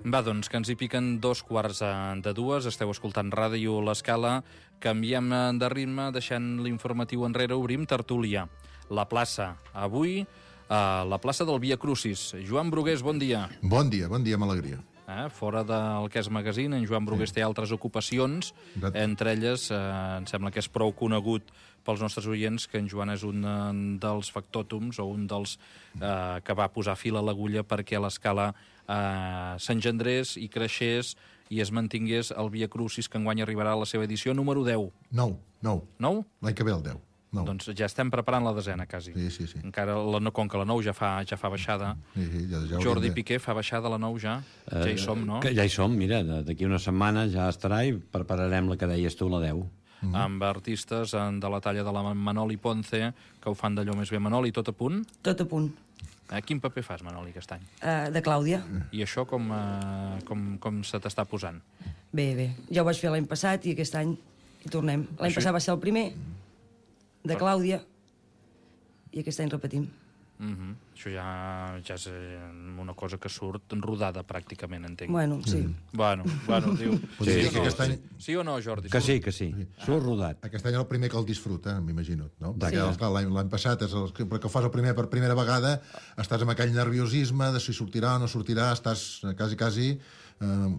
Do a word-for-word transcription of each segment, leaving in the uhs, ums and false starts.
Va, doncs, que ens hi piquen dos quarts de dues. Esteu escoltant Ràdio L'Escala. Canviem de ritme, deixant l'informatiu enrere, obrim tertúlia. La plaça. Avui, a la plaça del Via Crucis. Joan Brugués, bon dia. Bon dia, bon dia amb alegria. Eh, fora del que és magazine, en Joan Brugués sí. té altres ocupacions, Exacte. entre elles, eh, em sembla que és prou conegut pels nostres oients que en Joan és un dels factòtums o un dels eh, que va posar fil a l'agulla perquè a l'Escala eh, s'engendrés i creixés i es mantingués el Via Crucis, que enguany arribarà a la seva edició número deu. Nou, nou. Nou? L'any que ve el deu. No. Doncs ja estem preparant la desena, quasi. Sí, sí, sí. Encara, la, no, com que la nou ja fa, ja fa baixada. Sí, sí, ja, ja Jordi de... Piqué fa baixada la nou ja. Uh, ja hi som, no? Que ja hi som, mira, d'aquí una setmana ja estarà i prepararem la que deies tu, la deu. Mm-hmm. Amb artistes de la talla de la Manoli Ponce, que ho fan d'allò més bé. Manoli, tot a punt? Tot a punt. Eh, quin paper fas, Manoli, aquest any? Uh, de Clàudia. I això com, uh, com, com se t'està posant? Bé, bé. Ja ho vaig fer l'any passat i aquest any hi tornem. L'any això... passat va ser el primer, de Clàudia, i aquest any repetim. Mm-hmm. Això ja, ja és una cosa que surt rodada, pràcticament, entenc. Bueno, sí. Mm-hmm. Bueno, bueno, diu... Sí, sí, sí, no, aquest any... sí o no, Jordi? Que sí, que sí. sí. Surt rodat. Aquest any és el primer que el disfruta, m'imagino, no? Sí. Perquè l'any passat, és el, perquè ho fas el primer per primera vegada, estàs amb aquell nerviosisme de si sortirà o no sortirà, estàs quasi, quasi eh,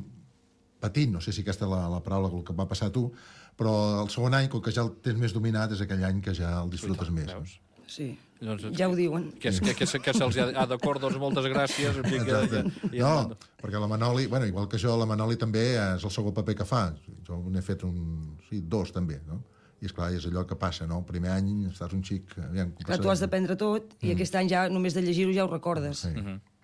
patint, no sé si aquesta és la, la paraula que va passar a tu, però el segon any, com que ja el tens més dominat, és aquell any que ja el disfrutes més. Veus? Sí, doncs, ja ho diuen. Que, que, que, que se'ls ha, ha d'acord, doncs moltes gràcies. Que, que, i, no, perquè la Manoli, bueno, igual que jo, la Manoli també és el segon paper que fa. Jo n'he fet un, sí, dos també, no? I esclar, és allò que passa, no? El primer any estàs un xic... Aviam, clar, tu has d'aprendre tot i mm. aquest any ja només de llegir-ho ja ho recordes. Sí. Mm-hmm.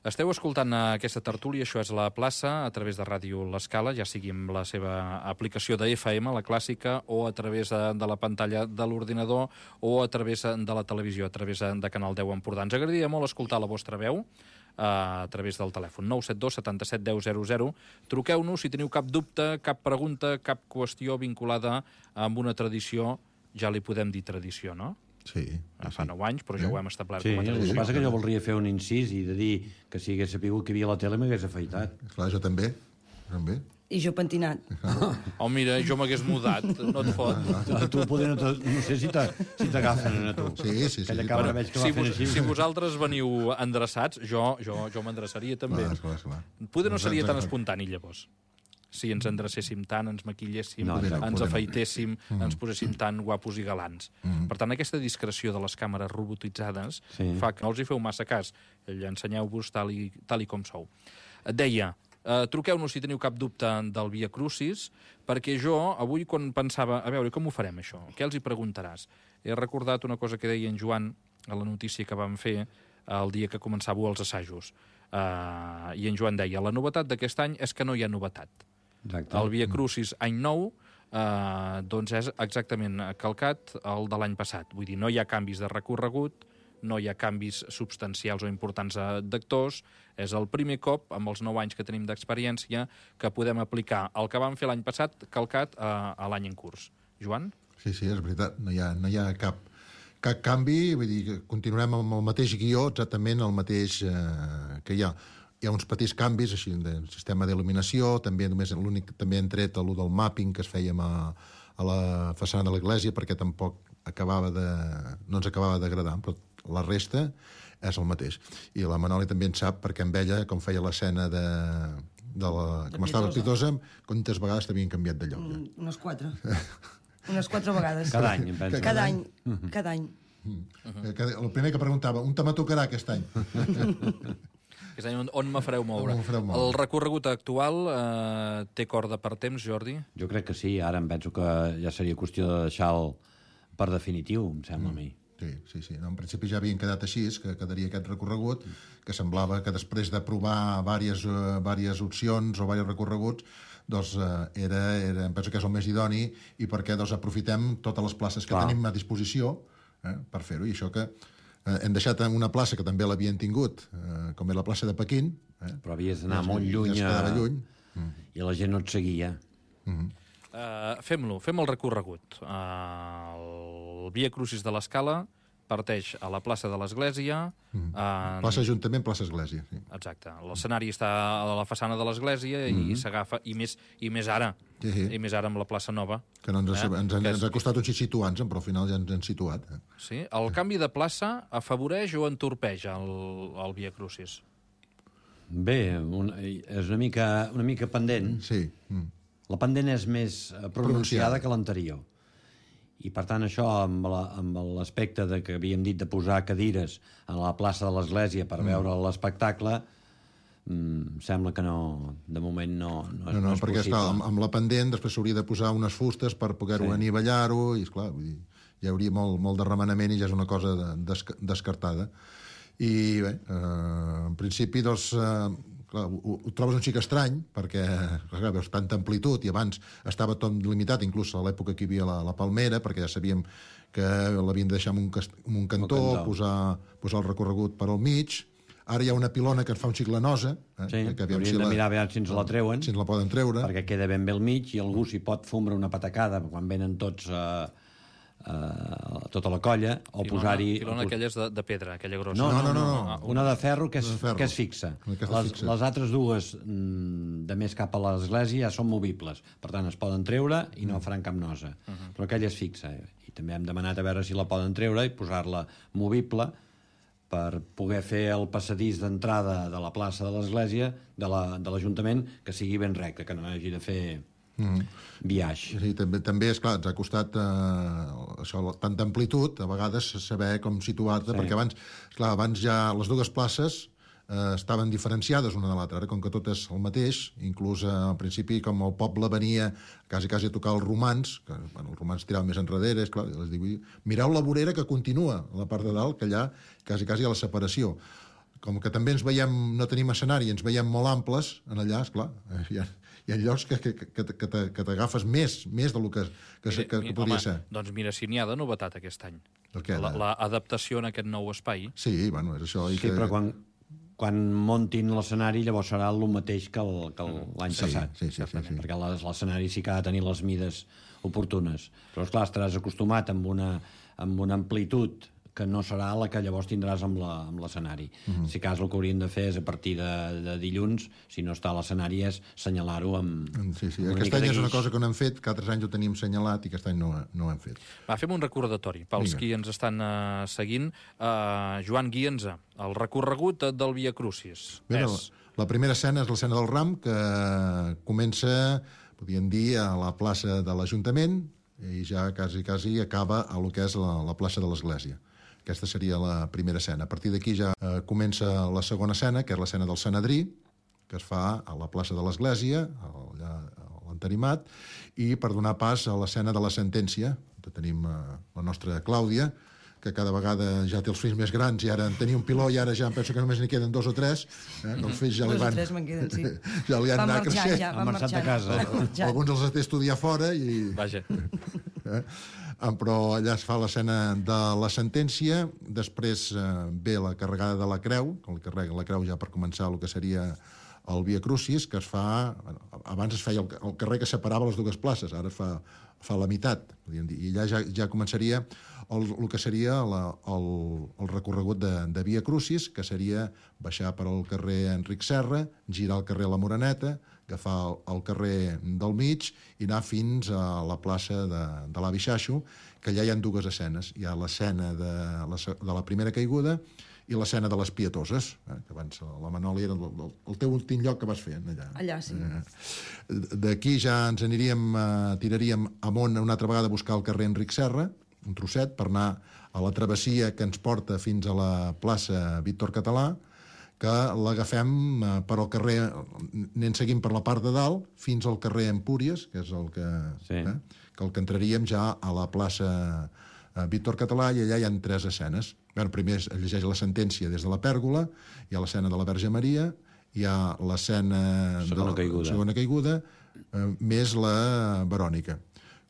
Esteu escoltant aquesta tertúlia, això és la plaça, a través de Ràdio L'Escala, ja sigui amb la seva aplicació de F M, la clàssica, o a través de, de la pantalla de l'ordinador, o a través de la televisió, a través de Canal deu Empordà. Ens agradaria molt escoltar la vostra veu a través del telèfon nou set dos setanta-set deu zero zero. Truqueu-nos si teniu cap dubte, cap pregunta, cap qüestió vinculada amb una tradició, ja li podem dir tradició, no? Sí, ah, fa nou anys, però ja ho hem establert sí, com a tradició. El que passa que jo voldria fer un incís i de dir que si hagués sapigut que hi havia la tele m'hagués afaitat. Clar, jo també, també. I jo pentinat. Oh, mira, jo m'hagués mudat, no et fot. A tu poder no, no sé si t'agafen a tu. Sí, sí, sí. Aquella cabra veig que va si, fent vos, així. si vosaltres veniu endreçats, jo, jo, jo m'endreçaria també. Clar, esclar, esclar. Poder no seria tan espontani, llavors. Si ens endrecéssim tant, ens maquilléssim, no, no, ens no. afeitéssim, mm. ens poséssim tan guapos i galants. Mm. Per tant, aquesta discreció de les càmeres robotitzades sí. fa que no els hi feu massa cas. Ensenyeu-vos tal i, tal i com sou. Deia, eh, truqueu-nos si teniu cap dubte del Via Crucis, perquè jo, avui, quan pensava, a veure, com ho farem, això? Què els hi preguntaràs? He recordat una cosa que deia en Joan a la notícia que vam fer el dia que començàveu els assajos. Uh, I en Joan deia, la novetat d'aquest any és que no hi ha novetat. Exacte. El Via Crucis any nou eh, doncs és exactament calcat el de l'any passat. Vull dir, no hi ha canvis de recorregut, no hi ha canvis substancials o importants d'actors. És el primer cop, amb els nou anys que tenim d'experiència, que podem aplicar el que vam fer l'any passat calcat a, a l'any en curs. Joan? Sí, sí, és veritat. No hi ha, no hi ha cap, cap canvi. Vull dir, que continuem amb el mateix guió, exactament el mateix eh, que hi ha. Hi ha uns petits canvis, així, del sistema d'il·luminació, també només l'únic també han tret l'ú del mapping que es fèiem a, a la façana de l'església, perquè tampoc acabava de, no ens acabava d'agradar, però la resta és el mateix. I la Manoli també en sap, perquè amb ella, com feia l'escena de, de la... De com estava Pitosa, quantes vegades t'havien canviat de lloc, ja? Mm, unes quatre. unes quatre vegades. Cada any, em penso. Cada any, cada any. Uh-huh. El primer que preguntava, on te me tocarà aquest any? Aquest any on, on me fareu moure? Me fareu moure. El recorregut actual eh, té corda per temps, Jordi? Jo crec que sí, ara em penso que ja seria qüestió de deixar-lo per definitiu, em sembla mm. a mi. Sí, sí, sí. No, en principi ja havien quedat així, que quedaria aquest recorregut, que semblava que després de provar diverses, uh, diverses opcions o diversos recorreguts, doncs uh, era, era, em penso que és el més idoni, i perquè doncs, aprofitem totes les places que Clar. tenim a disposició eh, per fer-ho, i això que Eh, hem deixat una plaça que també l'havien tingut, eh, com és la plaça de Pequín. Eh? Però havies d'anar molt lluny, ja es lluny. Mm. I la gent no et seguia. Mm-hmm. Uh, fem-lo, fem el recorregut. Uh, el Via Crucis de l'Escala parteix a la plaça de l'Església... Mm. En... Plaça Ajuntament, plaça Església. Sí. Exacte. L'escenari està a la façana de l'Església mm. i s'agafa, i més, i més ara, sí, sí. i més ara amb la plaça Nova. Que no ens, ha, eh? ens, que ens és... ha costat un xic situar-nos, però al final ja ens hem situat. Eh? Sí? El canvi de plaça afavoreix o entorpeix el, el Via Crucis? Bé, un, és una mica, una mica pendent. Sí. Mm. La pendent és més pronunciada, pronunciada. que l'anterior. I, per tant, això, amb l'aspecte de que havíem dit de posar cadires a la plaça de l'Església per mm. veure l'espectacle, mm, sembla que no, de moment no, no, és, no, no, no és perquè possible. Està, amb, amb la pendent després s'hauria de posar unes fustes per poder-ho sí. anivellar-ho, i, esclar, vull dir, hi hauria molt, molt de remenament i ja és una cosa de, des, descartada. I, bé, eh, en principi, doncs... Eh, Clar, ho, ho trobes un xic estrany, perquè clar, veus tanta amplitud, i abans estava tot limitat, inclús a l'època que hi havia la, la Palmera, perquè ja sabíem que l'havien de deixar en un, cast, en un cantó, cantó. Posar, posar el recorregut per al mig. Ara hi ha una pilona que ens fa un xic la nosa. Eh? Sí, que hauríem si de la, mirar a veure si ens la treuen. Si ens la poden treure. Perquè queda ben bé al mig i algú s'hi pot fumbre una patacada quan venen tots... Eh, Uh, tota la colla, o posar-hi... Pilona aquelles de, de pedra, aquella grossa. No, no, no, no, no. una de ferro que es, ferro. que es fixa. Que les, les altres dues mm, de més cap a l'església ja són movibles, per tant es poden treure i no faran cap nosa. Uh -huh. Però aquella es fixa, eh? I també hem demanat a veure si la poden treure i posar-la movible per poder fer el passadís d'entrada de la plaça de l'església, de l'Ajuntament, la, que sigui ben recte, que no hagi de fer... Mm. viatge. Sí, també, també és clar, ens ha costat eh, això, tanta amplitud, a vegades saber com situar-te, sí. perquè abans, clar, abans ja les dues places eh, estaven diferenciades una de l'altra, ara com que tot és el mateix, inclús eh, al principi com el poble venia quasi quasi a tocar els romans, que bueno, els romans tiraven més enrere, és clar, els dic, mireu la vorera que continua a la part de dalt, que allà quasi quasi a la separació. Com que també ens veiem, no tenim escenari, ens veiem molt amples, en allà, esclar, hi ha, hi ha llocs que, que, que, que t'agafes més, més del que, que, mira, que, que podria home, ser. Doncs mira, si n'hi ha de novetat aquest any. Què, l'adaptació en aquest nou espai. Sí, bueno, és això. I sí, que... però quan, quan muntin l'escenari llavors serà el mateix que l'any sí, passat. Sí, sí, sí, sí. Perquè l'escenari sí que ha de tenir les mides oportunes. Però, esclar, estaràs acostumat amb una, amb una amplitud que no serà la que llavors tindràs amb l'escenari. Uh -huh. Si cas el que hauríem de fer és a partir de, de dilluns, si no està a l'escenari, és senyalar-ho amb... Sí, sí. Aquest any és una cosa que no hem fet, que altres anys ho teníem senyalat i aquest any no, no ho hem fet. Va, fem un recordatori pels Vinga. Qui ens estan uh, seguint. Uh, Joan, guia'ns el recorregut del Via Crucis. Bé, és... la, la primera escena és l'escena del Ram, que comença, podríem dir, a la plaça de l'Ajuntament i ja quasi, quasi acaba a lo que és la, la plaça de l'Església. Aquesta seria la primera escena. A partir d'aquí ja eh, comença la segona escena, que és l'escena del Sanedrí, que es fa a la plaça de l'Església, allà a l'Entenimat, i per donar pas a l'escena de la sentència, que tenim eh, la nostra Clàudia, que cada vegada ja té els fills més grans i ara en tenia un piló i ara ja em penso que només n'hi queden dos o tres. Eh? Els fills ja li van... Dos o tres me'n queden, sí. Ja li han van anat marxar, creixent. ja, van marxar. a casa. Alguns els té estudiar fora i... Vaja. Eh? Però allà es fa l'escena de la sentència, després eh, ve la carregada de la creu, que el carrega la creu ja per començar el que seria el Via Crucis, que es fa... Bueno, abans es feia el, el carrer que separava les dues places, ara es fa, fa la meitat, podríem dir, i allà ja, ja començaria el, el que seria la, el, el recorregut de, de Via Crucis, que seria baixar per al carrer Enric Serra, girar al carrer La Moreneta, agafar el, el carrer del mig i anar fins a la plaça de, de l'Avi Xaixo, que allà hi ha dues escenes. Hi ha l'escena de, la, de la primera caiguda i l'escena de les Pietoses, eh, que abans la Manoli era el, el, el teu últim lloc que vas fer allà. Allà, sí. Eh, d'aquí ja ens aniríem, eh, tiraríem amunt una altra vegada a buscar el carrer Enric Serra, un trosset, per anar a la travessia que ens porta fins a la plaça Víctor Català, que l'agafem eh, per al carrer, anem seguint per la part de dalt, fins al carrer Empúries, que és el que, sí. eh, que el que entraríem ja a la plaça eh, Víctor Català, i allà hi ha tres escenes. Bé, primer es llegeix la sentència des de la pèrgola, hi ha l'escena de la Verge Maria, hi ha l'escena segona de la caiguda, segona caiguda eh, més la Verònica.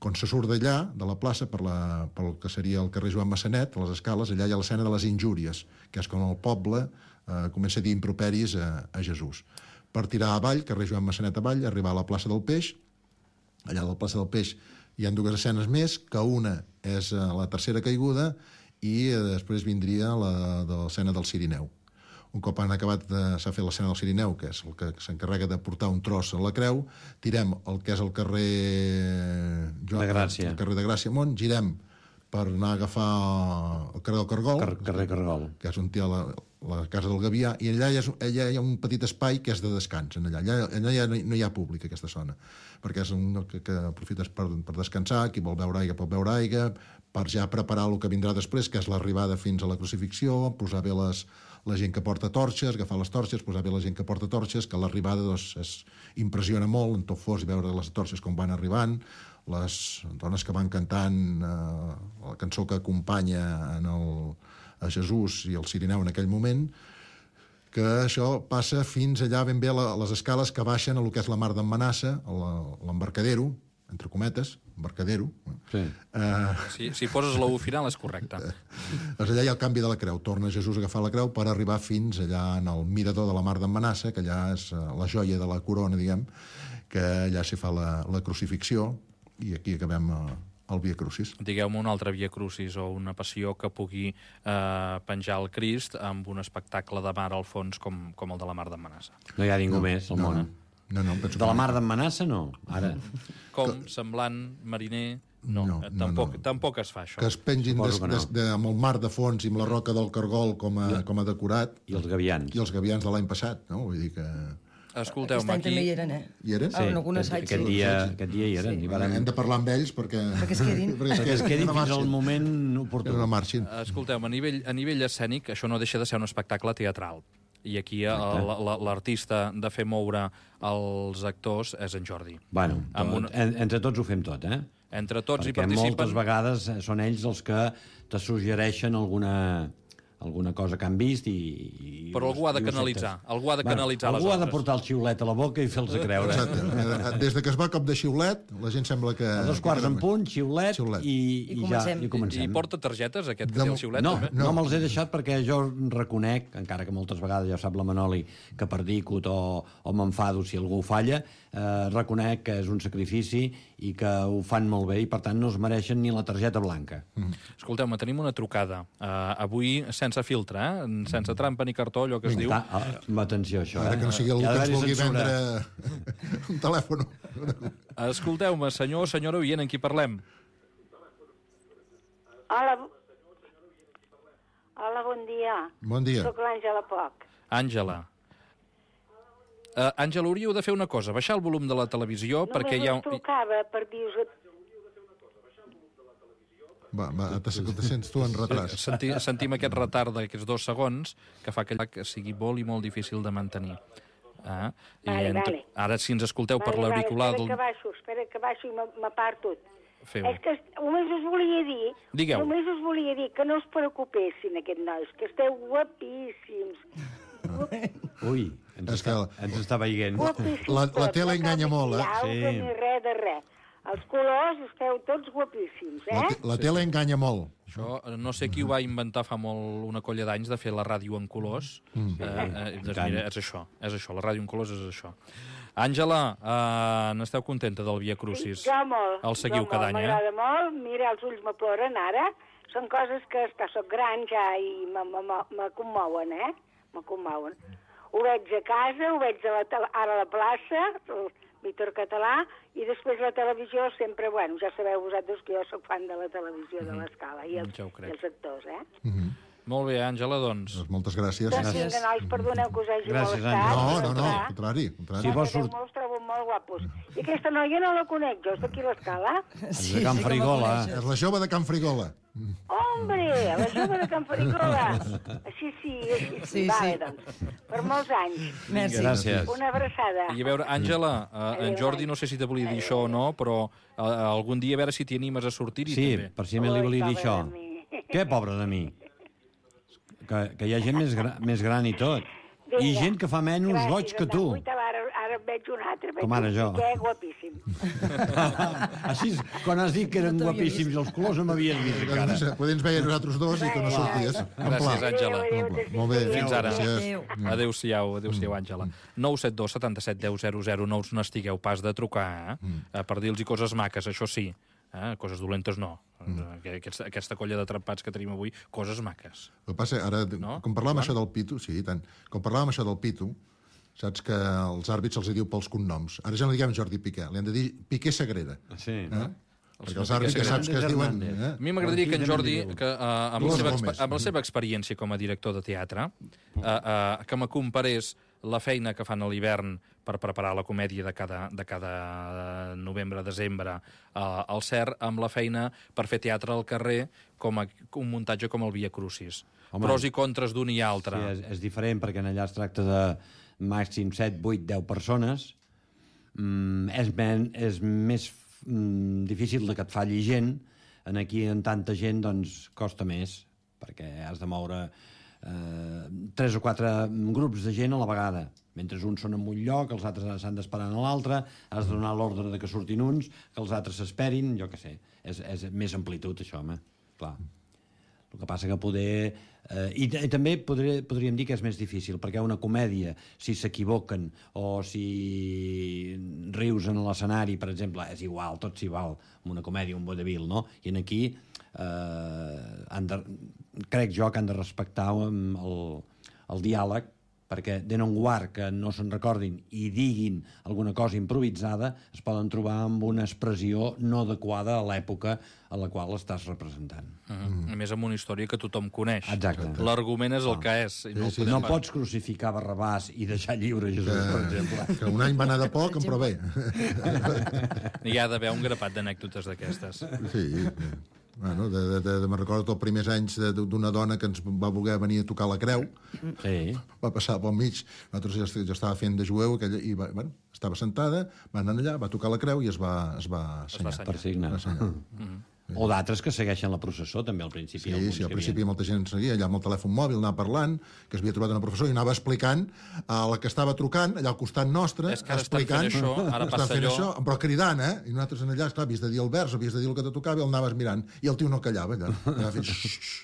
Quan se surt d'allà, de la plaça, per, la, per el que seria el carrer Joan Massanet, a les escales, allà hi ha l'escena de les injúries, que és quan el poble eh, comença a dir improperis a, a Jesús. Per tirar avall, carrer Joan Massanet avall, arribar a la plaça del Peix. Allà a la plaça del Peix hi ha dues escenes més, que una és eh, la tercera caiguda i eh, després vindria la de l'escena del Cirineu. Un cop han acabat, de, s'ha fet l'escena del Cirineu, que és el que s'encarrega de portar un tros a la creu, tirem el que és el carrer... De Gràcia. El carrer de Gràcia amunt, girem per anar a agafar el carrer del Cargol, Car carrer Cargol, que és on té la, la casa del Gavià, i allà hi, ha, allà hi ha un petit espai que és de descans. Allà, allà, allà ja no hi ha públic, aquesta zona, perquè és un que, que aprofites per, per descansar, qui vol beure aigua pot beure aigua, per ja preparar el que vindrà després, que és l'arribada fins a la crucifixió, posar bé les, la gent que porta torxes, agafar les torxes, posar bé la gent que porta torxes, que l'arribada doncs, es impressiona molt, en tot fos, i veure les torxes com van arribant, les dones que van cantant eh, la cançó que acompanya en el, a Jesús i el Cirineu en aquell moment, que això passa fins allà ben bé a les escales que baixen a lo que és la mar d'en Manassa, l'embarcadero, entre cometes, embarcadero. Sí. Eh, Si, si poses la U final és correcte. doncs allà hi ha el canvi de la creu. Torna Jesús a agafar la creu per arribar fins allà en el mirador de la mar d'en Manassa, que allà és la joia de la corona, diguem, que allà s'hi fa la, la crucifixió, i aquí acabem el Via Crucis. Digueu-me un altre Via Crucis o una passió que pugui eh, penjar el Crist amb un espectacle de mar al fons com, com el de la mar d'en Manassa. No hi ha ningú no, més al no, món. No, no, no penso De la que... mar d'en Manassa, no. Ara. Com, semblant, mariner... No, No, eh, no, tampoc, no. tampoc es fa això. Que es pengin des, Suposo que no. des, de, amb el mar de fons i amb la roca del Cargol com a, com a decorat, I els gavians. i els gavians de l'any passat, no? Vull dir que... Escolteu-me, Aquest any aquí... també hi eren, eh? Hi eren? Ah, en algun aquest, assaig, aquest, sí. dia, aquest dia hi eren. Sí. I varen... Hem de parlar amb ells perquè... Perquè es quedin. perquè Perquè es quedin no fins al marxin. moment Que oportú. no marxin. Escolteu, a nivell, a nivell escènic, això no deixa de ser un espectacle teatral. I aquí l'artista de fer moure els actors és en Jordi. Bueno, Amb tot, una- en, entre tots ho fem tot, eh? Entre tots hi Perquè participen... moltes vegades eh, són ells els que te suggereixen alguna, alguna cosa que han vist i... i Però algú ha de i ho canalitzar, acceptes. algú ha de canalitzar les algú ha de obres. portar el xiulet a la boca i fer-los creure. Exacte. Des de que es va cop de xiulet, la gent sembla que... A dos quarts en punt, xiulet, Xiulet. i, I i, ja, comencem. i comencem. I porta targetes, aquest que De té mo- el xiulet, No, també? no, no me'ls he deixat perquè jo reconec, encara que moltes vegades ja ho sap la Manoli, que perdicut o, o m'enfado si algú falla, eh, reconec que és un sacrifici i que ho fan molt bé i, per tant, no es mereixen ni la targeta blanca. Mm. Escolteu-me, tenim una trucada. Uh, avui sense filtre, eh? Sense trampa ni cartó, allò que es diu. Ta, ah, atenció, això. Ara eh? que no sigui algú Hi ha que ens d'haver-hi vulgui censura. vendre un telèfon. Escolteu-me, senyor o senyora oient, en qui parlem? Hola, bo- hola, bon dia. Bon dia. Soc l'Àngela Poc. Àngela. Uh, Àngela, hauríeu de fer una cosa, baixar el volum de la televisió perquè hi ha... Només us trucava per dir-vos... Va, va, te, te sents tu en retras. Senti, sentim aquest retard d'aquests dos segons que fa que, que sigui molt i molt difícil de mantenir. Ah, i Vale, entre... vale. Ara, si ens escolteu per Vale, l'auricular... Vale, del... espera que baixo, espera que baixo i m'a- m'aparto. Feu. És que est- només us volia dir... Digueu. Només us volia dir que no us preocupessin, aquests nois, que esteu guapíssims. Ui, ens, És està, que- ens està veient. Guapíssims La- la tots, tele no cal enganya molt, eh? maquillar-vos Sí. Ni res de res. Els colors esteu tots guapíssims, La, eh? te- la tele enganya molt. Això, eh, no sé qui ho va inventar fa molt una colla d'anys de fer la ràdio en colors. Mm. Eh, eh, doncs mira, és això, és això, la ràdio en colors és això. Àngela, eh, n'esteu contenta del Via Crucis? Jo molt. El seguiu jo cada molt, any, eh? M'agrada molt, mira, els ulls me ploren ara. Són coses que, esclar, soc gran ja i me, me, me, me commouen, eh? Me commouen. Ho veig a casa, ho veig a la, tel- ara a la plaça, el Víctor Català, i després la televisió sempre, bueno, ja sabeu vosaltres que jo sóc fan de la televisió mm -hmm. de l'Escala i, els, Ja ho crec. i els actors, eh? Mm -hmm. Molt bé, Àngela, doncs. Doncs moltes gràcies. Doncs vinga, nois, perdoneu que us hagi Gràcies, molestat. Àngela. No, no, no, Clar. al contrari. al contrari. Si vols Perquè sort- els trobo molt guapos. I aquesta noia no la conec jo, és d'aquí a l'Escala. de Can que Frigola. la coneixes. És la jove de Can Frigola. Hombre, la jove de Can Farigola. Així sí, així sí. Sí, Vale, sí. doncs. Per molts anys. Merci. Gràcies. Una abraçada. I a veure, Àngela, eh, en Jordi no sé si te volia dir això o no, però eh, algun dia a veure si t'hi animes a sortir-hi Sí, també. precisament li Ui, volia dir pobre això. de mi. Què, pobre de mi? Que, que hi ha gent més, gra, més gran i tot. I Vinga. gent que fa menys Gràcies, goig que tu. Anda, ara, ara en veig un altre. Veig Com ara un jo. xiquet guapíssim. Així, és, quan has dit que eren No t'havia guapíssims els colors, no m'havies vist encara. Podem ens veia nosaltres dos i que no sorties. En Gràcies, pla. Àngela. Adéu, adéu, En pla. adéu, Molt bé. adéu. Fins ara. Gràcies. Adéu-siau, adéu-siau, Àngela. nou set dos setanta set deu zero zero, no us n'estigueu pas de trucar, eh? Eh, per dir-los coses maques, això sí. Eh? Coses dolentes no. Mm. Aquesta, aquesta colla de trempats que tenim avui, coses maques. El que passa, ara, no? com parlàvem això del pitu, sí, tant, com parlàvem això del pitu, saps que als àrbits se'ls diu pels cognoms. Ara ja no diguem Jordi Piqué, li han de dir Piqué Sagrera. Sí. Eh? Perquè els àrbits ja saps que es diuen... Eh? A mi m'agradaria que en Jordi, que, uh, amb, la seva, amb la seva experiència com a director de teatre, uh, uh, que me comparés la feina que fan a l'hivern per preparar la comèdia de cada, de cada novembre-desembre uh, al C E R amb la feina per fer teatre al carrer com a, un muntatge com el Via Crucis. Home, pros i contres d'un i altre. Sí, és, és diferent perquè allà es tracta de màxim set, vuit, deu persones. Mm, és, men, és més mm, difícil de que et falli gent. En aquí, en tanta gent, doncs, costa més, perquè has de moure eh, tres o quatre grups de gent a la vegada. Mentre uns són en un lloc, els altres s'han d'esperar en l'altre, has de donar l'ordre de que surtin uns, que els altres s'esperin, jo què sé. És, és més amplitud, això, home, clar. El que passa que poder... Eh, i, I també podré, podríem dir que és més difícil, perquè una comèdia, si s'equivoquen o si rius en l'escenari, per exemple, és igual, tot s'hi val, amb una comèdia, un vodevil, no? I en aquí eh, han de, crec jo que han de respectar el, el diàleg, perquè de non guard que no se'n recordin i diguin alguna cosa improvisada, es poden trobar amb una expressió no adequada a l'època a la qual estàs representant. Uh -huh. mm. A més, amb una història que tothom coneix. Exacte. L'argument és el ah. que és. I no, sí, sí, no sí. pots crucificar Barrabàs i deixar lliure Jesús, que, per exemple. Que un any va anar de poc, però bé. Hi ha d'haver un grapat d'anècdotes d'aquestes. Sí, bueno, de, de, de, me'n recordo els primers anys d'una dona que ens va voler venir a tocar la creu. Sí. Va passar pel mig. Nosaltres ja, ja estava fent de jueu aquella, i va, bueno, estava sentada, va anar allà, va tocar la creu i es va, es va assenyar. Per signar. Va assenyar. Mm-hmm. O d'altres que segueixen la processó, també, al principi. Sí, sí, al principi havien... molta gent seguia, allà amb el telèfon mòbil, anava parlant, que es havia trobat una professora i anava explicant a la que estava trucant, allà al costat nostre, és que ara explicant... estan fent això, ara passa fent allò... això, però cridant, eh? I nosaltres en allà, esclar, havies de dir el vers, havies de dir el que te tocava, i el anaves mirant, i el tio no callava, allà. Allà fent...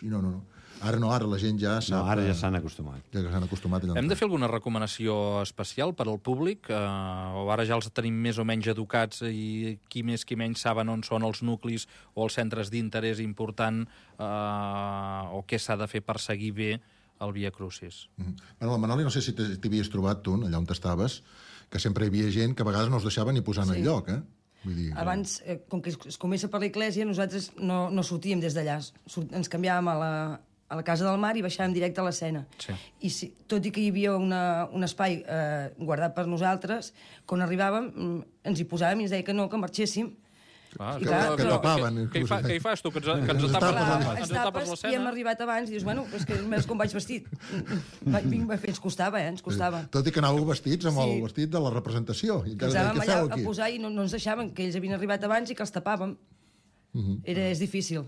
I no, no, no. Ara no, ara la gent ja sap... No, ara ja s'han acostumat. Ja s'han acostumat. Hem de fer alguna recomanació especial per al públic? Eh, o ara ja els tenim més o menys educats i qui més qui menys saben on són els nuclis o els centres d'interès important eh, o què s'ha de fer per seguir bé el Via Crucis? Mm. Bueno, la Manoli, no sé si t'havies trobat tu, allà on estaves, que sempre hi havia gent que a vegades no us deixava ni posar en el lloc, eh? Vull dir, abans, eh, com que es comença per l'església, nosaltres no, no sortíem des d'allà. Ens canviàvem a la, a la Casa del Mar i baixàvem directe a l'escena. Sí. I si, tot i que hi havia una, un espai eh, guardat per nosaltres, quan arribàvem ens hi posàvem i ens deia que no, que marxéssim. Ah, I que, clar, que però- tapaven. Què hi, fa, què hi fas tu, que ens, que ens Ens tapes, tapes, ens, ens ens tapes, tapes i hem l'escena? arribat abans i dius, bueno, és que només com vaig vestit. Va, vinc, ens costava, eh? Ens costava. Tot i que anàveu vestits amb Sí. el vestit de la representació. I Ens encara anàvem deia, què allà feu a aquí? posar i no, no ens deixaven, que ells havien arribat abans i que els tapàvem. Era, és difícil.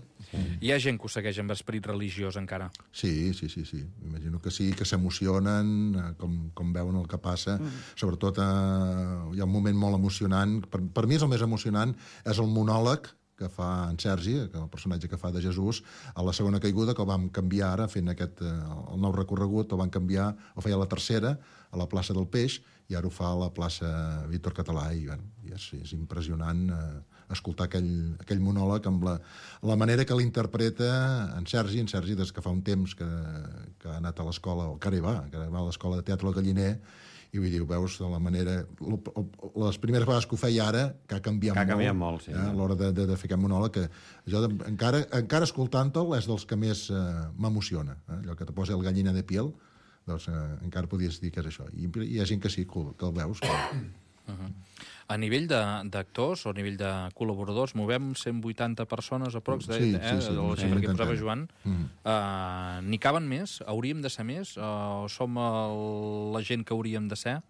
Hi ha gent que ho segueix amb esperit religiós encara. Sí, sí, sí, sí. Imagino que sí, que s'emocionen, eh, com, com veuen el que passa. Mm. Sobretot eh, hi ha un moment molt emocionant. Per, per mi és el més emocionant, és el monòleg que fa en Sergi, que el personatge que fa de Jesús, a la segona caiguda, que el vam canviar ara, fent aquest, eh, el nou recorregut, el van canviar, el feia a la tercera, a la plaça del Peix, i ara ho fa a la plaça Víctor Català, i, bueno, i és, és impressionant eh, escoltar aquell, aquell monòleg amb la, la manera que l'interpreta en Sergi, en Sergi des que fa un temps que, que ha anat a l'escola, o que ara hi va, que ara va a l'escola de teatre al Galliner, i vull dir, ho veus de la manera... Les primeres vegades que ho feia ara, que ha canviat Que ha molt. canviat molt, sí. Eh, a l'hora de, de, de fer aquest monòleg, que jo de, encara, encara escoltant-te'l és dels que més eh, m'emociona. Eh? Allò que te posa el gallina de piel, doncs eh, encara podries dir que és això. I hi ha gent que sí, que, que el veus. Que... Uh -huh. A nivell d'actors o a nivell de col·laboradors, movem cent vuitanta persones aprox, de, Sí, eh, sí, sí, la sí, xifra que intentem. posava Joan. Mm. Uh, N'hi caben més? Hauríem de ser més? Uh, o som el, la gent que hauríem de ser?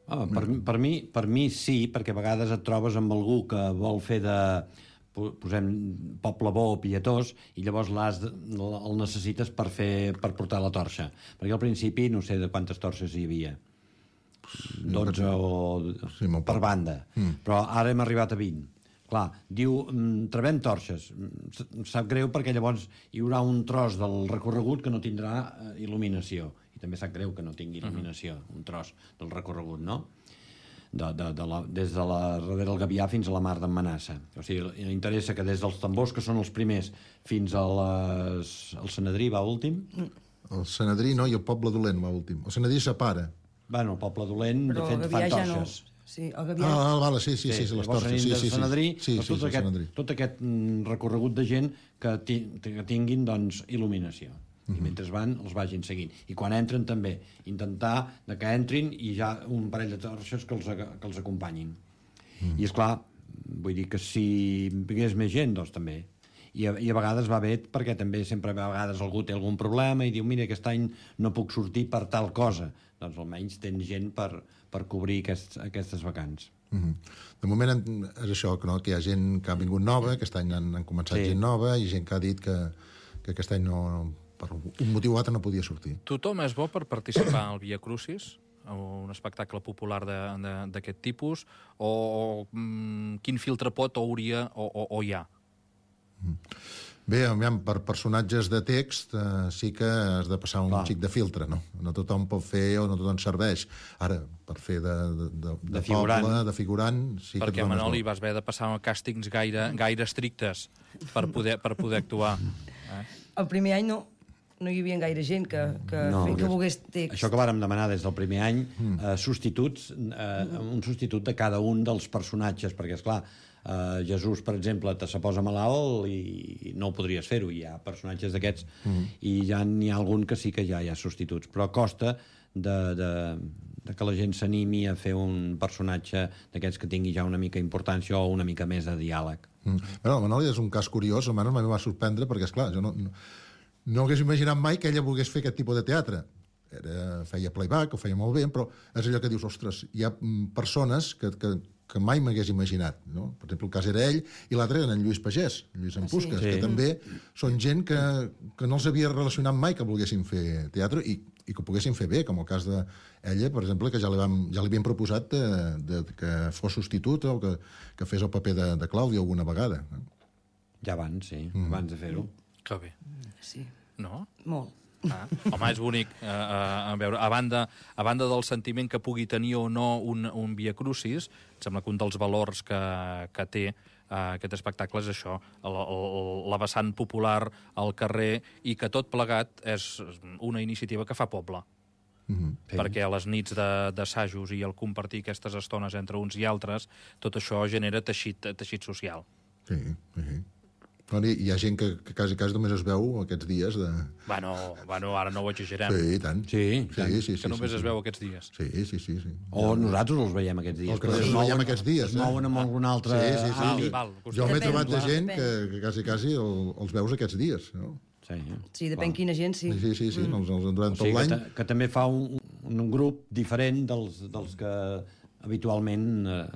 Ah, per, per, mi, per mi sí, perquè a vegades et trobes amb algú que vol fer de po- posem poble bo o pietós i llavors l'has de, el necessites per, fer, per portar la torxa. Perquè al principi no sé de quantes torxes hi havia. dotze o... Sí, molt per poc. banda. Mm. Però ara hem arribat a vint. Clar, diu, mm, trebem torxes. Mm, Sap greu perquè llavors hi haurà un tros del recorregut que no tindrà eh, il·luminació. I també sap greu que no tingui il·luminació, un tros del recorregut, no? de, de, de la, des de la darrere del Gavià fins a la Mar d'en Manassa. O sigui, interessa que des dels tambors, que són els primers, fins a les... el Sanedrí va últim. El Sanedrí no, i el Poble Dolent va últim. El Sanedrí separa. Bueno, el Poble Dolent, Però de fet, el fan Gavià ja no. torxes. Sí, el Gavià... Ah, vale, sí, sí, sí, sí, les llavors torxes. Sí, venim sí, del Sanedrí, sí, sí, doncs sí, tot, sí, aquest, Sanedrí. tot aquest mm, recorregut de gent que, ti, que tinguin doncs, il·luminació. I mentre van, els vagin seguint. I quan entren també, intentar de que entrin i ja un parell de torxes que els, que els acompanyin. Mm. I, esclar, vull dir que si vingués més gent, doncs també. I a, I a vegades va bé, perquè també sempre a vegades algú té algun problema i diu, mira, aquest any no puc sortir per tal cosa. Doncs almenys tens gent per, per cobrir aquest, aquestes vacants. Mm-hmm. De moment és això, no? Que hi ha gent que ha vingut nova, aquest any han, han començat sí. gent nova, i gent que ha dit que, que aquest any no... per un motiu o altre no podia sortir. Tothom és bo per participar al Via Crucis, o un espectacle popular d'aquest tipus, o, o mm, quin filtre pot o hauria o, o, o hi ha? Bé, per personatges de text eh, sí que has de passar un Clar. xic de filtre, no? No tothom pot fer o no tothom serveix. Ara, per fer de, de, de, de, de figurant, poble, de figurant... Sí perquè, que Manoli, vas haver de passar càstings gaire, gaire estrictes per poder, per poder actuar. Eh? El primer any no. No hi havia gaire gent que, que, no, que volgués text. Això que vàrem demanar des del primer any, mm. eh, substituts, eh, un substitut de cada un dels personatges, perquè, esclar, eh, Jesús, per exemple, te se posa malalt i no ho podries fer-ho. Hi ha personatges d'aquests mm. i ja n'hi ha algun que sí que ja hi ha substituts. Però costa de, de, de que la gent s'animi a fer un personatge d'aquests que tingui ja una mica importància o una mica més de diàleg. Mm. Bueno, el Manoli és un cas curiós, almenys m'ha va sorprendre, perquè, esclar, jo no... no... No hagués imaginat mai que ella volgués fer aquest tipus de teatre. Era, feia playback, ho feia molt bé, però és allò que dius, ostres, hi ha persones que, que, que mai m'hagués imaginat. No? Per exemple, el cas era ell, i l'altre era en Lluís Pagès, Lluís Empusques, sí. que també són gent que, que no els havia relacionat mai que volguessin fer teatre i, i que ho poguessin fer bé, com el cas d'ella, per exemple, que ja li, vam, ja li havien proposat de, de, que fos substitut o que, que fes el paper de, de Clàudia alguna vegada. Ja abans, sí, mm. abans de fer-ho. Que bé. Sí. No? Molt. Ah, home, és bonic eh, a veure, a banda, a banda del sentiment que pugui tenir o no un, un Via Crucis, em sembla que un dels valors que, que té eh, aquest espectacle és això, el, el, la vessant popular al carrer, i que tot plegat és una iniciativa que fa poble. Mm-hmm. Perquè a les nits d'assajos i el compartir aquestes estones entre uns i altres, tot això genera teixit, teixit social. Sí, sí. Hi ha gent que, que quasi, quasi només es veu aquests dies de... Bueno, bueno, ara no ho exagerem. Sí, i tant. Sí, sí, sí, sí, que només sí, es sí. veu aquests dies. Sí, sí, sí. sí. O nosaltres els veiem aquests dies. O que nosaltres els veiem aquests dies. Es mouen amb algun altre... Sí, sí, sí. Val, val, jo m'he depèn, trobat de clar, gent depèn. que, que quasi, quasi el, els veus aquests dies. No? Sí, sí, depèn quina gent, sí. Sí, sí, sí, mm. els, els, durant o sigui, tot l'any. Que, que també fa un, un grup diferent dels, dels que habitualment... Eh,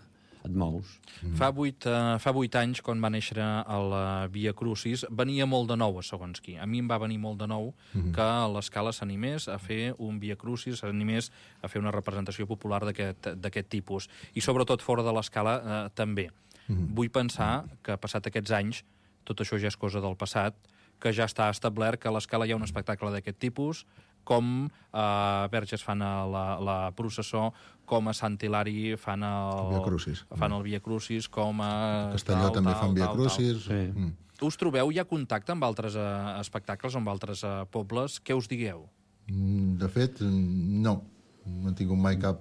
et mous. Mm. Fa, vuit, uh, fa vuit anys, quan va néixer el uh, Via Crucis, venia molt de nou, a segons qui. A mi em va venir molt de nou mm. que l'Escala s'animés a fer un Via Crucis, s'animés a fer una representació popular d'aquest tipus. I sobretot fora de l'Escala uh, també. Mm. Vull pensar que, passat aquests anys, tot això ja és cosa del passat, que ja està establert que a l'Escala hi ha un espectacle d'aquest tipus, com a Verges fan la, la processó, com a Sant Hilari fan el, Via Crucis. fan el Via Crucis, com a... Castelló tal, també tal, fan Via tal, Crucis. Sí. Mm. Us trobeu? Hi ha contacte amb altres uh, espectacles, amb altres uh, pobles? Què us digueu? Mm, de fet, no. No he tingut mai cap...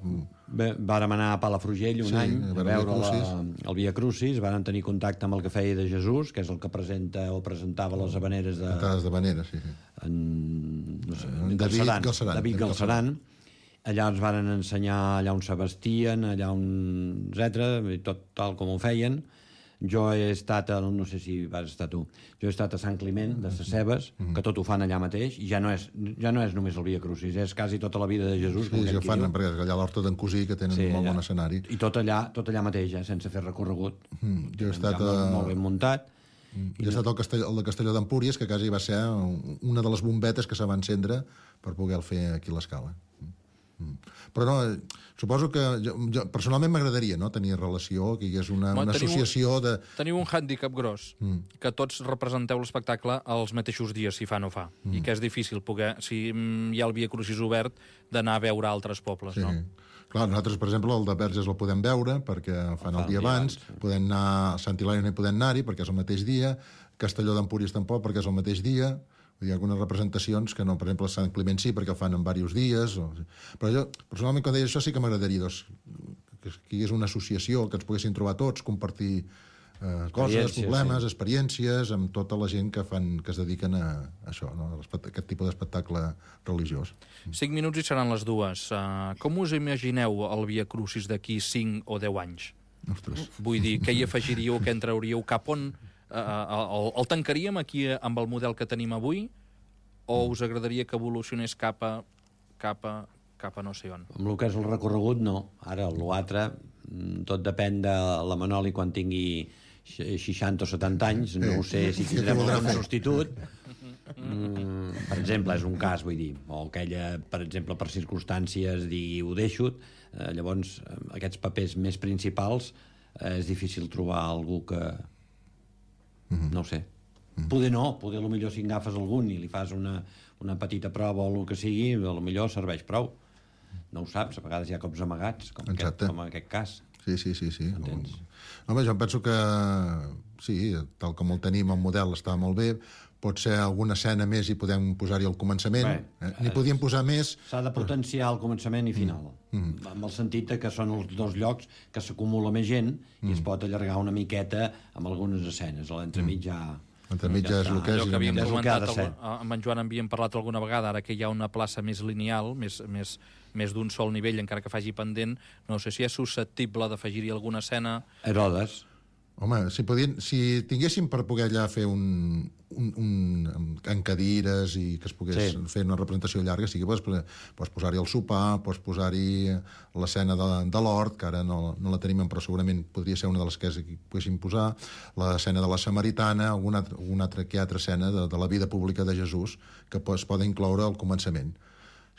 Bé, vàrem anar a Palafrugell un sí, any a veure la, el Via Crucis, vàrem tenir contacte amb el que feia de Jesús, que és el que presenta o presentava les habaneres de... Les habaneres, sí. sí. En, no sé, en David Galceran. David Galceran. Allà ens varen ensenyar allà on s'abastien, allà on... etcètera, tot tal com ho feien. Jo he estat, a, no sé si vas estar tu, jo he estat a Sant Climent, de Ses Cebes, mm -hmm. que tot ho fan allà mateix, i ja no és, ja no és només el Via Crucis, és quasi tota la vida de Jesús. Sí, ja fan, perquè allà a l'Horta d'en Cosí, que tenen sí, un molt bon escenari. I tot allà, tot allà mateix, eh, sense fer recorregut. Mm, jo he estat ja a... molt, molt ben muntat. Mm, jo he estat al Castelló, el de Castelló d'Empúries, que quasi va ser una de les bombetes que se va encendre per poder fer aquí a l'Escala. Mm. Però no, suposo que jo, jo, personalment m'agradaria, no?, tenir relació, que hi hagués una, una associació de... Teniu un hàndicap gros, mm. que tots representeu l'espectacle els mateixos dies, si fa no fa, mm. i que és difícil poder, si hi ha el Via Crucis obert, d'anar a veure altres pobles, sí. no? Clar, nosaltres, per exemple, el de Verges el podem veure, perquè el fan el dia abans, podem anar a Sant Hilari, no hi podem anar-hi, perquè és el mateix dia, Castelló d'Empúries tampoc, perquè és el mateix dia. Hi ha algunes representacions que no, per exemple, Sant Climent sí, perquè el fan en diversos dies. O... Però jo, personalment, quan deia això, sí que m'agradaria doncs, que hi hagués una associació, que ens poguessin trobar tots, compartir eh, coses, problemes, sí. experiències, amb tota la gent que fan que es dediquen a, a això, no? a aquest tipus d'espectacle religiós. Cinc minuts i seran les dues. Uh, com us imagineu el Via Crucis d'aquí cinc o deu anys? Ostres. Vull dir, què hi afegiríeu, què en trauríeu, cap on... Uh, el, el tancaríem aquí amb el model que tenim avui o us agradaria que evolucionés cap a, cap a, cap a no sé on? Amb el que és el recorregut, no. Ara, l'altre, tot depèn de la Manoli quan tingui seixanta o setanta anys, no ho sé si tindrem un substitut. Mm, per exemple, és un cas, vull dir, o que ella, per exemple, per circumstàncies digui ho deixo, eh, llavors aquests papers més principals eh, és difícil trobar algú que... No ho sé. Poder no, poder potser si agafes algun i li fas una, una petita prova o el que sigui, potser serveix prou. No ho saps, a vegades hi ha cops amagats, com, aquest, com en aquest cas. Sí, sí, sí. sí. Home, jo em penso que sí, tal com el tenim, el model està molt bé, pot ser alguna escena més i podem posar-hi al començament. Bé, eh? N'hi podíem posar més... S'ha de potenciar el començament i final, mm. Mm. amb el sentit que són els dos llocs que s'acumula més gent i mm. es pot allargar una miqueta amb algunes escenes. A l'entremig ja... L'entremig ja és el que és. Allò que havíem comentat amb en Joan havíem parlat alguna vegada, ara que hi ha una plaça més lineal, més, més, més d'un sol nivell, encara que faci pendent, no sé si és susceptible d'afegir-hi alguna escena... Herodes. Home, si, podien, si tinguéssim per poder allà fer un, un, un en cadires i que es pogués sí. fer una representació llarga, sí que pots, pots posar-hi el sopar, pots posar-hi l'escena de, de l'hort, que ara no, no la tenim, però segurament podria ser una de les que poguéssim posar, l'escena de la Samaritana, alguna, alguna altra, que altra escena de, de la vida pública de Jesús que es poden incloure al començament.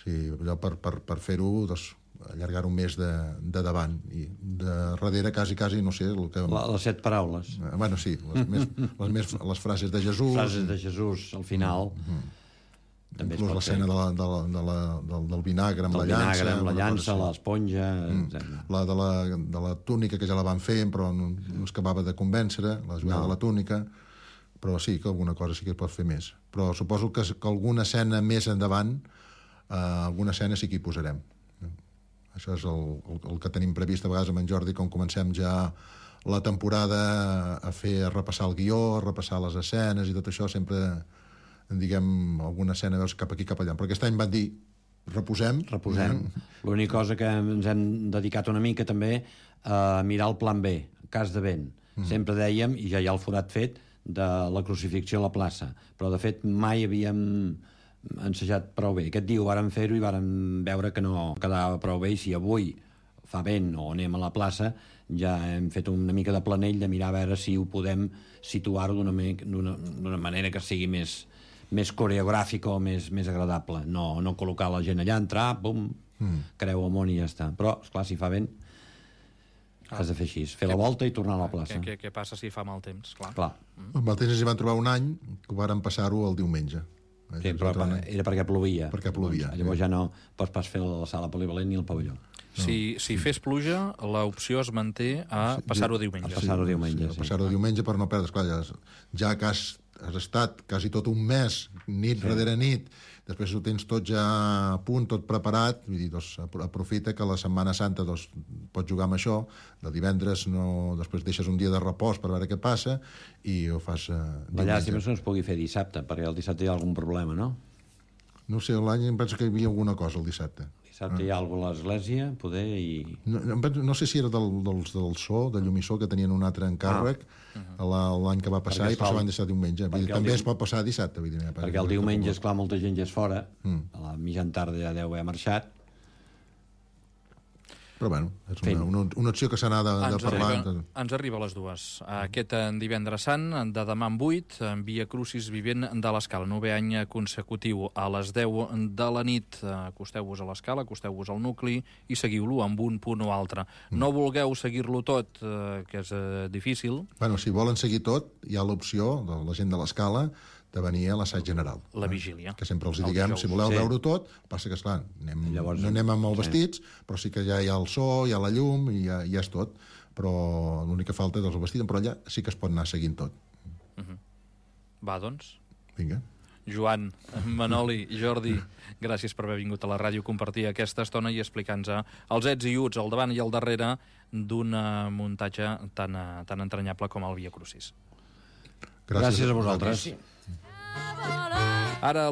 Sí, allò per, per, per fer-ho... Doncs, allargar-ho més de, de davant i de darrere quasi, quasi, no sé el que... La, les set paraules eh, bueno, sí, les, més, les, més, les frases de Jesús frases de Jesús al final mm-hmm. també inclús l'escena de la, de la, de la, del, del vinagre amb del la llança vinagre amb la llança, l'esponja mm. la de la, de la túnica que ja la van fer però no, no es acabava de convèncer la jugada no. de la túnica però sí que alguna cosa sí que es pot fer més però suposo que, que alguna escena més endavant eh, alguna escena sí que hi posarem. Això és el, el, el que tenim previst a vegades amb en Jordi, quan comencem ja la temporada a fer, a repassar el guió, a repassar les escenes i tot això, sempre, diguem, alguna escena veus cap aquí, cap allà. Però aquest any van dir, reposem. Reposem. Eh? L'única cosa que ens hem dedicat una mica també a mirar el plan B, cas de vent. Mm. Sempre dèiem, i ja hi ha el forat fet, de la crucifixió a la plaça. Però, de fet, mai havíem... ensajat prou bé. Aquest dia ho vàrem fer-ho i vàrem veure que no quedava prou bé i si avui fa vent o anem a la plaça ja hem fet una mica de planell de mirar a veure si ho podem situar-ho d'una manera que sigui més, més coreogràfica o més, més agradable. No, no col·locar la gent allà, entrar, pum, mm. creu amunt i ja està. Però, esclar, si fa vent has de fer així, fer la volta i tornar a la plaça. Què, què, què passa si fa mal temps? Clar. Clar. Mm. Amb el temps ens hi van trobar un any que ho varen passar-ho el diumenge. Sí, però era perquè plovia. Perquè plovia. Llavors ja no pots pas fer la sala polivalent ni el pavelló. Si, si fes pluja, l'opció es manté a passar-ho diumenge. A passar-ho diumenge, sí. A passar-ho diumenge per no perdre. Esclar, ja, ja que has, has estat quasi tot un mes, nit sí. darrere nit, després ho tens tot ja a punt, tot preparat, vull dir, doncs, aprofita que la Setmana Santa doncs, pots jugar amb això, de divendres no, després deixes un dia de repòs per veure què passa i ho fas eh, diumenge. La llàstima és que no es pugui fer dissabte, perquè el dissabte hi ha algun problema, no? No sé, l'any em penso que hi havia alguna cosa el dissabte. Dissabte ah. hi ha alguna a l'església, poder, i... No, no sé si era del, dels del so, de llum i so, que tenien un altre encàrrec ah. l'any que va passar i per això van deixar diumenge. Dir, també dium... es pot passar dissabte. Vull dir, perquè, perquè el diumenge, esclar, molta gent ja és fora, mm. a la mitjan tarda ja deu haver marxat. Però, bueno, és una, una, una opció que s'ha anat de, de parlar. Arriba, ens arriba a les dues. Aquest divendres sant, de demà en vuit, en Via Crucis vivent de l'Escala. Novè any consecutiu. A les deu de la nit acosteu-vos a l'Escala, acosteu-vos al nucli i seguiu-lo amb un punt o altre. Mm. No vulgueu seguir-lo tot, que és difícil. Bueno, si volen seguir tot, hi ha l'opció de la gent de l'Escala de venir a l'assaig general. La vigília. Que sempre els El diguem, dijous. si voleu Sí. veure-ho tot, passa que, esclar, anem, Llavors, no anem amb els sí. vestits, però sí que ja hi ha el so, hi ha la llum, i ja, ja és tot. Però l'únic que falta és el vestit, però allà sí que es pot anar seguint tot. Va, doncs. Vinga. Joan, Manoli, Jordi, gràcies per haver vingut a la ràdio, compartir aquesta estona i explicar-nos els ets i uts, al davant i al darrere d'un muntatge tan, tan entranyable com el Via Crucis. Gràcies a vosaltres. Ara